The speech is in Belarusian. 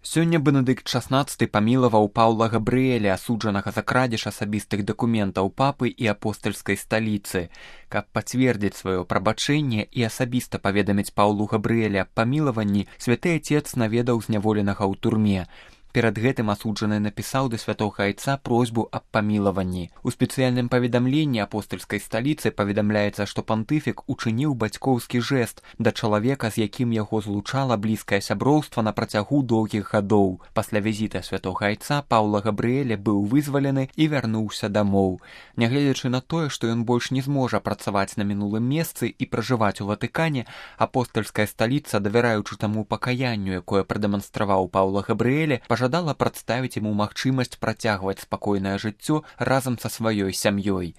Сёння Бенедыкт XVI памілаваў Паўла Габрыэля, асуджанага за крадзеж асабістых дакументаў папы і апостальскай сталіцы. Каб пацвердзіць сваё прабачэнне і асабіста паведаміць Паўлу Габрыэля аб памілаванні, святы Ацец наведаў зняволенага ў турме. Перад гэтым асуджаны напісаў да святога айца просьбу аб памілаванні. У спецыяльным паведамленні апостальскай сталіцы паведамляецца, што пантыфік учыніў бацькоўскі жэст да чалавека, з якім яго злучала блізкае сяброўства на працягу доўгіх гадоў. Пасля візіта святога айца Паўла Габрыэля быў вызвалены і вярнуўся дамоў. Нягледзячы на тое, што ён больш не зможа працаваць на мінулым месцы і пражываць у Ватыкане, апостальская сталіца, давяраючы таму пакаянню, якое прадэманстраваў Паўла Габрыэля, пажадала прадставіць яму магчымасць працягваць спакойнае жыццё разам са сваёй сям'ёй.